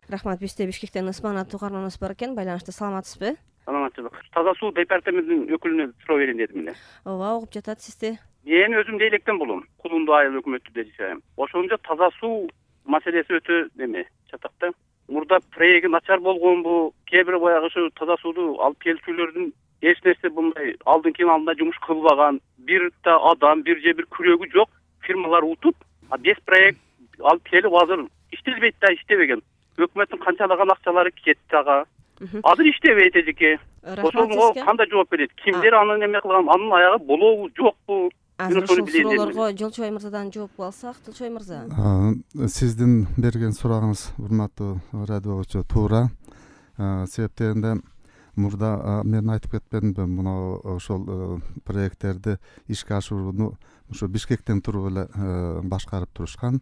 Рахмат. Бизде Бишкектен Ысман аттуу угарманыбыз бар экен. Байланышта саламатсызбы? Саламатчылык. Таза суу департаментинин өкүлүнө суроо берейин дедим эле. Ооба, угуп жатат сизди. Мен өзүм Дейлектен болом. Кулунду айыл өкмөтүндө жашайм. Ошондо таза суу маселеси өтө чатакта. Мурда проекти начар болгонбу, кээ бир баягы ушу таза сууду алып келүүчүлөрдүн эч нерсе мындай алдын жумуш кылбаган, бир да адам, бир же бир күрөгү жок фирмалар утуп, без проект алып келип азыр иштелбейт да, иштебеген. Өкмөттүн канчалаган акчалары кетти ага. Азыр иштебейт эжеке. Ошого кандай жооп берет? Кимдер аны неме кылган? Анын аягы болобу, жокпу? Азыр ушул суроолорго Жолчубай мырзадан жооп алсак, Жолчубай мырза. Сиздин берген сурагыңыз, урматтуу радиочу, туура. Себептен мурда мен айтып кетпедимби, мына ошол проекттерди ишке ашырууну ушу Бишкектен туруп эле башкарып турушкан.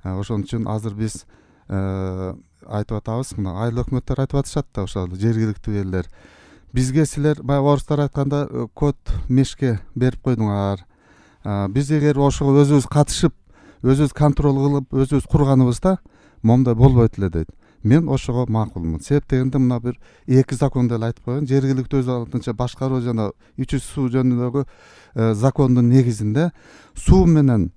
Ошон үчүн азыр биз айтып атабыз, мына айыл өкмөттөр айтып атышат да, ошол жергиликтүү элдер. Бизге силер баягы орустар айтканда код мешке берип койдуңар. Биз эгер ошого өзүбүз катышып, өзүбүз контроль кылып, өзүбүз курганыбызда момундай болбойт эле дейт. Мен ошого макулмун. Себеп дегенде мына бир эки законду эле айтып койгон. Жергиликтүү өз алдынча башкаруу жана ичүү суу жөнүндөгү закондун негизинде суу менен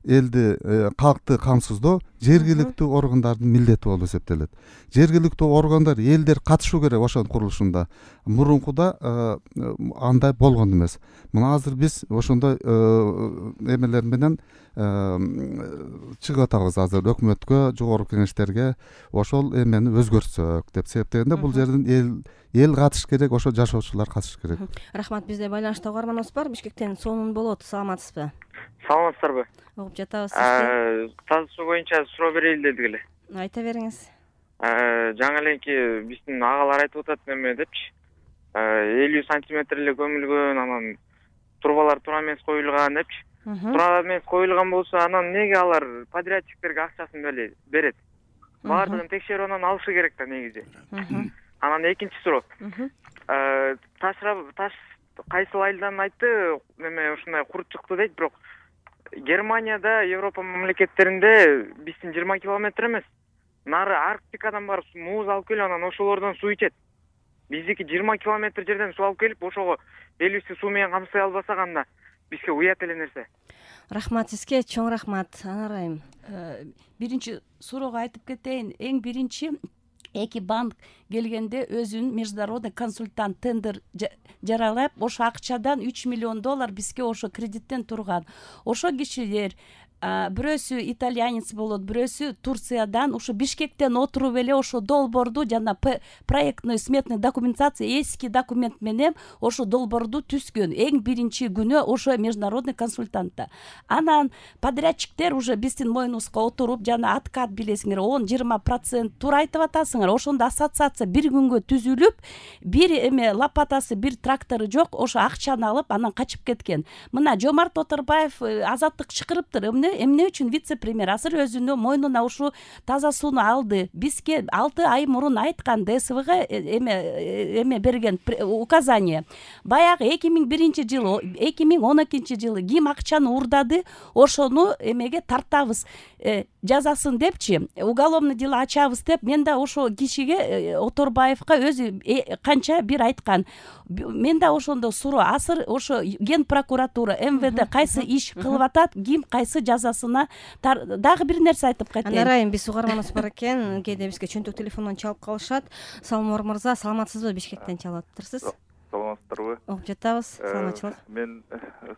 элди, калкты камсыздоо жергиликтүү органдардын милдети болуп эсептелет. Жергиликтүү органдар, элдер катышуу керек ошонун курулушунда. Мурункуда андай болгон эмес. Мына азыр биз ошондой эмелер менен чыгып атабыз азыр өкмөткө, жогорку кеңештерге ошол эмени өзгөртсөк деп. Себептегенде бул жерден эл катыш керек, ошо жашоочулар катыш керек. Рахмат. Бизде байланышта угарманыбыз бар. Бишкектен Сонун болот. Саламатсызбы? Саламатсыздарбы? Угуп жатабыз сизди. Таза суу боюнча суроо берейин дедик эле. Айта бериңиз. Жаңы эленки биздин агалар айтып атат неме депчи. 50 сантиметр эле көмүлгөн, анан трубалар туура эмес коюлган депчи. Туура эмес коюлган болсо, анан эмнеге алар подрядчиктерге акчасын берет? Баардыгын текшерип анан алышы керек да негизи. Анан экинчи суроо. Таш кайсыл айылдан айтты, неме ушундай курут чыкты дейт, бирок Германияда, Европа мамлекеттеринде биздин 20 километр эмес, нары Арктикадан барып муз алып келип, анан ошолордон суу ичет. Биздики 20 километр жерден суу алып келип, ошого элибизди суу менен камсый албасак, анда бизге уят эле нерсе. Рахмат сизге, чоң рахмат. Анарайым. Биринчи суроого айтып кетейин. Эң биринчи эки банк келгенде өзүнүн международный консультант тендер жаралап, ошо акчадан $3 миллион бизге ошо кредиттен турган. Ошо кишилер бирөөсү итальянец болот, бирөөсү Турциядан ушу Бишкектен отуруп эле ошо долбоорду жана проектный сметный документация эски документ менен ошо долбоорду түзгөн. Эң биринчи күнү ошо международный консультантта. Анан подрядчиктер уже биздин мойнубузга отуруп, жана откат билесиңер 10-20% туура айтып атасыңар. Ошондо ассоциация бир күнгө түзүлүп, бир эме лопатасы, бир трактору жок, ошо акчаны алып анан качып кеткен. Мына Жомарт Оторбаев азаттык чакырыптыр. Эмне үчүн вице-премьер азыр өзүнүн мойнуна ушу таза сууну алды. Бизге 6 ай мурун айткан ДСВга эме берген указание. Баягы 2001-жылы, 2012-жылы ким акчаны урдады, ошону эмеге тартабыз, жазасын депчи, уголовный дело ачабыз деп, мен да ошо кишиге Оторбаевга өзү канча бир айткан. Мен да ошондо суроо, азыр ошо Ген прокуратура, МВД кайсы иш кылып атат, ким кайсы жазасына дагы бир нерсе айтып кетейин. Анарайым, биз угарманыбыз бар экен, кээде бизге чөнтөк телефондон чалып калышат. Салмор мырза, саламатсызбы? Бишкектен чалып атыптырсыз. Саламатсыздарбы? Угуп жатабыз. Саламатчылык. Мен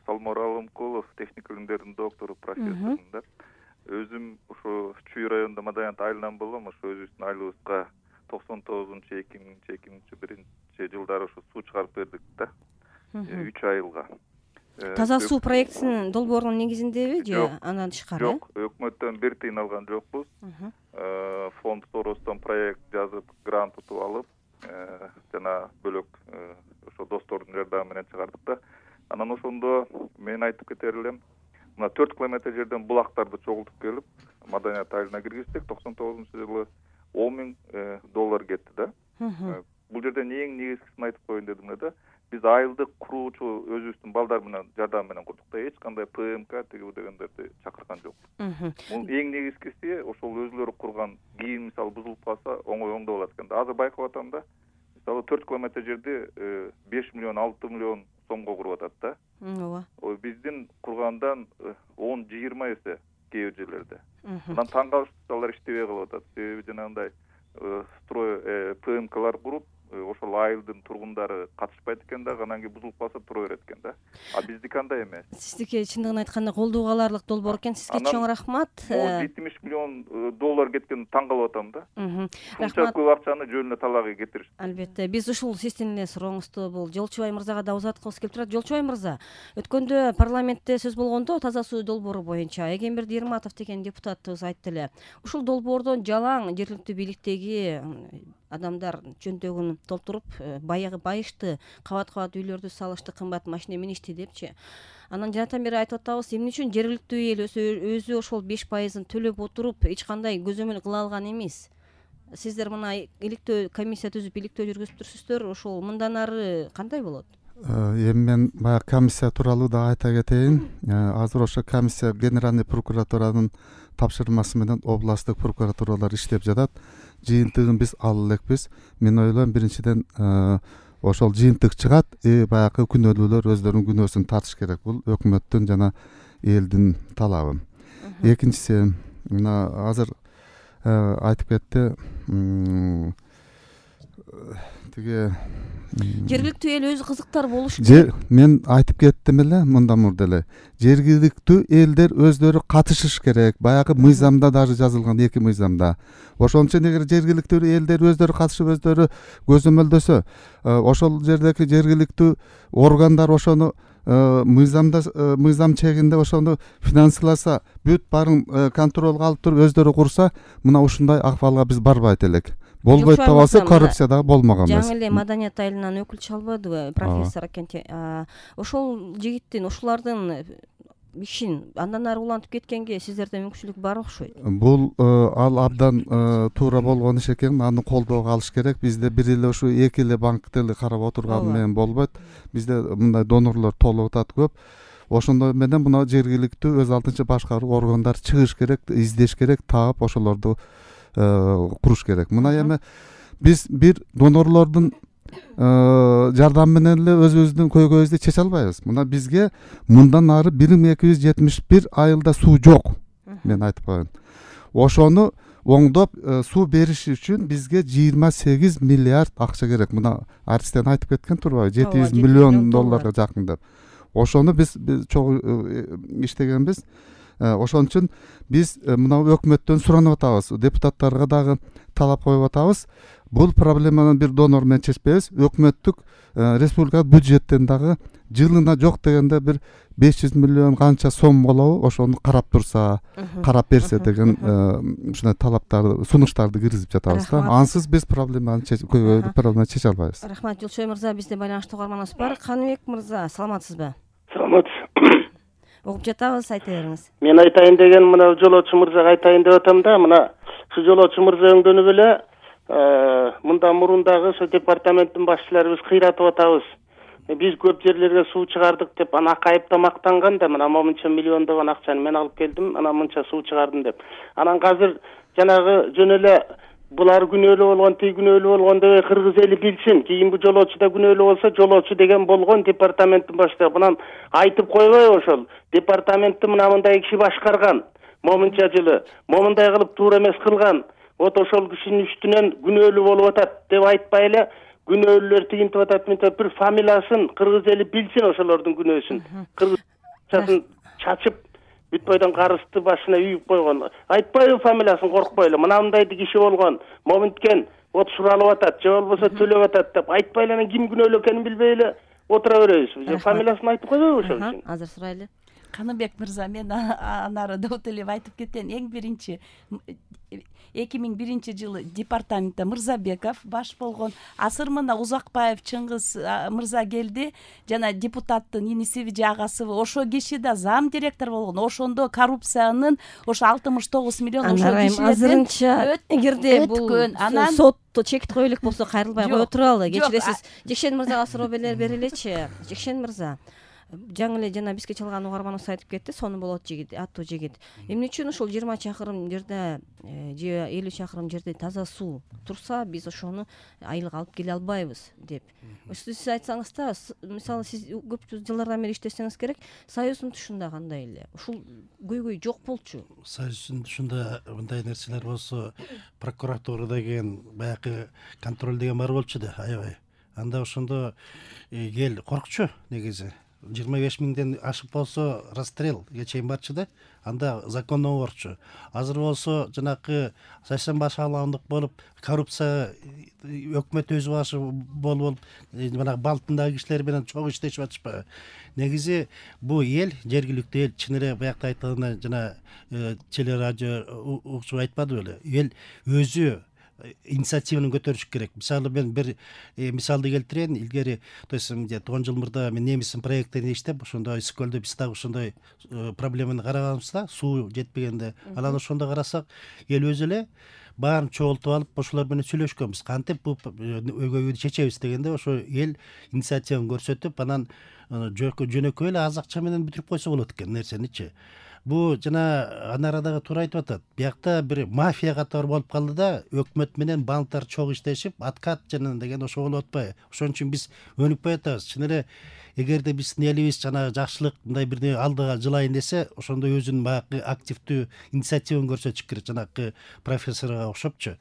Салмор Алымкулов, техник илимдердин доктору, профессормун да. Өзүм ошо Чүй районунда Мадаянт айылынан болом. Ошо өзүбүздүн айылыбызга 99-2001 жылдары ошо суу чыгарып бердик да. 3 айылга. Таза суу проектисинин долбоорунун негизиндеби же андан тышкары? Жок, өкмөттөн бир тыйын алган жокпуз. Фонд Торостон проект жазып, грант утуп алып, жана бөлөк ошо достордун жардамы менен чыгардык да. Анан ошондо мен айтып кетер элем, мына 4 километр жерден булактарды чогултуп келип, Маданият айылына киргиздик. 99-жылы $10 000 кетти да. Бул жерден эң негизгисин айтып коеюн дедим да. Биз айылды куруучу өзүбүздүн балдар менен жардам менен курдук да. Эч кандай ПМК тиги дегендерди чакырган жокпуз. Бул эң негизгиси ошол өзүлөрү курган, кийин мисалы бузулуп калса оңой оңдоп алат экен да. Азыр байкап атам да. Мисалы 4 километр жерди 5 миллион 6 миллион сомго куруп атат да. ооба. Биздин кургандан 10-20 эсе кээ бир жерлерде. Мындан таң калышып алар иштебей калып атат. Себеби жанагындай строй ПМКлар куруп, ошол айылдын тургундары катышпайт экен да, анан кийин бузулуп калса тура берет экен да. А биздики андай эмес. Сиздики чындыгын айтканда колдоого аларлык долбоор экен. Сизге чоң рахмат. 70 миллион доллар кеткен таң калып атам да. Рахмат. Көп акчаны жөнүнө талагы кетиришти. Албетте, биз ушул сиздин эле сурооңузду бул Жолчубай мырзага да узаткыбыз келип турат. Жолчубай мырза, өткөндө парламентте сөз болгондо таза суу долбоору боюнча Эгемберди Ирматов деген депутатыбыз айтты эле. Ушул долбоордон жалаң жергиликтүү бийликтеги адамдар жөндөгүн толтуруп, баягы байышты кабат-кабат үйлөрдү салышты, кымбат машина миништи депчи. Анан жанатан бери айтып атабыз, эмне үчүн жергиликтүү эл өзү ошол 5%-ын төлөп отуруп, эч кандай көзөмөл кыла алган эмес. Сиздер мына иликтөө комиссия түзүп, иликтөө жүргүзүп турсуздар, ошол мындан ары кандай болот? Эми мен баягы комиссия тууралуу да айта кетейин. Азыр ошо комиссия Генеральный прокуратуранын тапшырмасы менен областтык прокуратуралар иштеп жатат. Жыйынтыгын биз ала элекпиз. Мен ойлойм, биринчиден ошол жыйынтык чыгат, баягы күнөөлүүлөр өздөрүнүн күнөөсүн тартыш керек. Бул өкмөттүн жана элдин талабы. Экинчиси, мына азыр айтып кетти, тиги жергиликтүү эл өзү кызыктар болуш керек. Мен айтып кеттим эле мындан мурда эле. Жергиликтүү элдер өздөрү катышыш керек. Баягы мыйзамда даже жазылган, 2 мыйзамда. Ошон үчүн эгер жергиликтүү элдер өздөрү катышып, өздөрү көзөмөлдөсө, ошол жердеги жергиликтүү органдар ошону мыйзам чегинде ошону финансыласа, бүт баарын контролго алып туруп өздөрү курса, мына ушундай акыбалга биз барбайт элек. Болбойт да болсо коррупция дагы болмогон эмес. Жаңы эле маданият айылынан өкүл чалбадыбы, профессор Акенти. Ошол жигиттин, ушулардын ишин андан ары улантып кеткенге сиздерде мүмкүнчүлүк бар окшойт. Бул ал абдан туура болгон иш экен, аны колдоого алыш керек. Бизде бир эле ушу 2 эле банкты эле карап отурган менен болбойт. Бизде мындай донорлор толуп атат көп. Ошондой менен мына жергиликтүү өз алдынча башкаруу органдар чыгыш керек, издеш керек, таап ошолорду куруш керек. Мына эми биз бир донорлордун жардамы менен эле өзүбүздүн көйгөйүбүздү чече албайбыз. Мына бизге мындан ары 1271 айылда суу жок. Мен айтып коеюн. Ошону оңдоп суу бериш үчүн бизге 28 миллиард акча керек. Мына Арстен айтып кеткен турбайбы? 700 миллион долларга жакын деп. Ошону биз чогуу иштегенбиз. Ошон үчүн биз мына өкмөттөн суранып атабыз, депутаттарга дагы талап коюп атабыз. Бул проблеманы бир донор менен чечпейбиз. Өкмөттүк республика бюджеттен дагы жылына жок дегенде бир 500 миллион канча сом болобу, ошону карап турса, карап берсе деген ушундай талаптарды, сунуштарды киргизип жатабыз да. Ансыз биз проблеманы чече албайбыз. Рахмат, Жолчубай мырза, бизде байланыштуу угарманыбыз бар. Каныбек мырза, саламатсызбы? Саламат. Угуп жатабыз, айта бериңиз. Мен айтайын деген мына жолоочу мырзага айтайын деп атам да, мына ушу жолоочу мырза өңдөнүп эле мындан мурун дагы ошо департаменттин башчыларыбыз кыйратып атабыз. Биз көп жерлерге суу чыгардык деп ана акайыпта мактанган да, мына мынча миллиондогон акчаны мен алып келдим, ана мынча суу чыгардым деп. Анан азыр жанагы жөн эле булар күнөөлүү болгон, тиги күнөөлүү болгон деп кыргыз эли билсин. Кийинки жолоочу да күнөөлүү болсо, жолоочу деген болгон департаменттин башчысы. Мынан айтып койбойбу ошол? Департаментти мына мындай киши башкарган. Момунча жылы, момундай кылып туура эмес кылган. Вот ошол кишинин үстүнөн күнөөлүү болуп атат деп айтпай эле, күнөөлүүлөр тигинтип атат, мынтип бир фамилиясын кыргыз эли билсин ошолордун күнөөсүн. Кыргызчасын чачып бүт бойдон карысты башына үйүп койгон. Айтпайбы фамилиясын, коркпой эле. Мынандай киши болгон, момунткен вот суралып атат, же болбосо төлөп атат деп айтпай эле, анан ким күнөөлүү экенин билбей эле отура беребиз. Фамилиясын айтып койбойбу ошол үчүн? Азыр сурайлы. Каныбек мырза, мен анары Дауталиев айтып кеткен. Эң биринчи 2001 жылы департаментте Мырзабеков баш болгон, асыр мына Узакбаев Чыңгыз мырза келди, жана депутаттын инисиби же агасыбы, ошо киши да зам директор болгон. Ошондо коррупциянын ошо 69 миллион ошо кишилерден азырынча эгерде бул сотто чекит кое элек болсо кайрылбай кое туралы. Кечиресиз, Жекшен мырзага суроо бере элечи. Жекшен мырза, жаңы эле жана бизге чалган угарманыбыз айтып кетти, Сону болот жигит аттуу жигит. Эмне үчүн ушул 20 чакырым жерде же 50 чакырым жерде таза суу турса, биз ошону айылга алып келе албайбыз деп. Сиз айтсаңыз да, мисалы сиз көп жылдардан бери иштесеңиз керек, Союздун тушунда кандай эле? Ушул көйгөй жок болчу. Союздун тушунда мындай нерселер болсо, прокуратура деген баягы контроль деген бар болчу да, аябай. Анда ошондо эл коркчу негизи. 25 миңден ашып болсо расстрелге чейин барчу да. Анда законно борчу. Азыр болсо жанакы саясий башааландык болуп, коррупция өкмөт өз башы болуп, жанагы балтындагы кишилер менен чогуу иштешип атышпайбы? Негизи бу эл, жергиликтүү эл, чын эле баягы айткандай жана телерадио угчу айтпады беле? Эл өзү инициативаны көтөрүш керек. Мисалы мен бир мисалды келтирейин. Илгери, то есть 10 жыл мурда мен немистин проекттерин иштеп, ошондой Ысык көлдө биз дагы ошондой проблеманы караганбызда, суу жетпегенде. Анан ошондо карасак, эл өзү эле баарын чогултуп алып, ошолор менен сүйлөшкөнбүз. Кантип бу өйгөйдү чечебиз дегенде, ошо эл инициативаны көрсөтүп, анан жөнөкөй эле аз акча менен бүтүрүп койсо болот экен нерсеничи. Бу жана Анарадагы туура айтып атат. Биякта бир мафия катары болуп калды да, өкмөт менен банктар чогуу иштешип, откат жана деген ошо болуп атпайбы? Ошон үчүн биз өнүкпөй атабыз. Чын эле эгерде биздин элибиз жана жакшылык мындай бирдеме алдыга жылайын десе, ошондо өзүнүн баягы активдүү инициативаны көрсөтүш керек, жанакы профессорго окшопчу.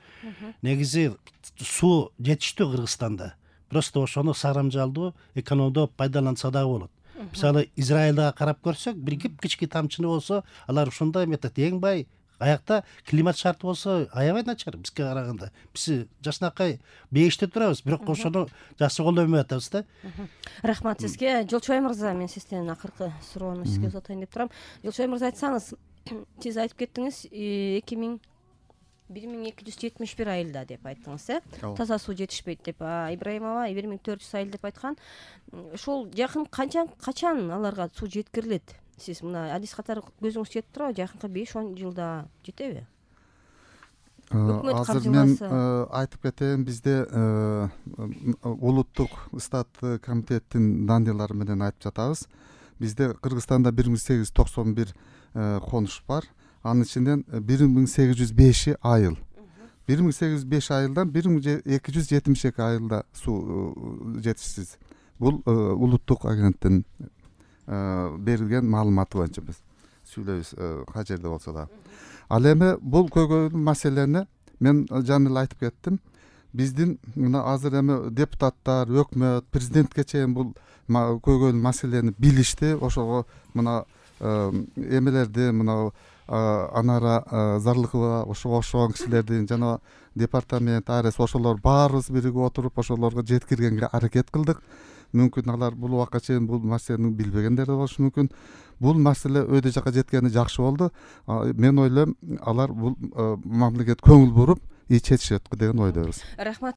Негизи суу жетиштүү Кыргызстанда. Просто ошону сарамжалдуу, экономдоп пайдаланса дагы болот. Мисалы Израилга карап көрсөк, бир кички тамчыны болсо, алар ушундай метод эң бай. Аякта климат шарты болсо аябай начар бизге караганда. Биз жакшынакай бейиште турабыз, бирок ошону жакшы колдонбой атабыз да. Рахмат сизге. Жолчубай мырза, мен сизден акыркы суроону сизге узатайын деп турам. Жолчубай мырза, айтсаңыз, сиз айтып кеттиңиз 1271 айылда деп айттыңыз, таза суу жетишпейт деп. Ибраимова 1400 айыл деп айткан. Ошол жакын качан аларга суу жеткирилет? Сиз мына адис катары көзүңүз жетип турабы? Жакынкы 5-10 жылда жетеби? Азыр мен айтып кетейин, бизде улуттук стат комитеттин данныйлары менен айтып жатабыз. Бизде Кыргызстанда 1891 конуш бар. Анын ичинен 1805 айыл. 1805 айылдан 1272 айылда суу жетишсиз. Бул улуттук агенттин берилген маалыматы боюнча биз сүйлөйбүз кай жерде болсо да. Ал эми бул көйгөйлүү маселени мен жаңы эле айтып кеттим. Биздин мына азыр эми депутаттар, өкмөт, президентке чейин бул көйгөйлүү маселени билишти. Ошого мына эмелерди, мына Анара Зарлыкова, ошого окшогон кишилердин жана департамент, АРС ошолор баарыбыз биригип отуруп ошолорго жеткиргенге аракет кылдык. Мүмкүн алар бул убакка чейин бул маселени билбегендер да болушу мүмкүн. Бул маселе өйдө жакка жеткени жакшы болду. Мен ойлойм, алар бул мамлекет көңүл буруп чечишет деген ойдобуз. Рахмат.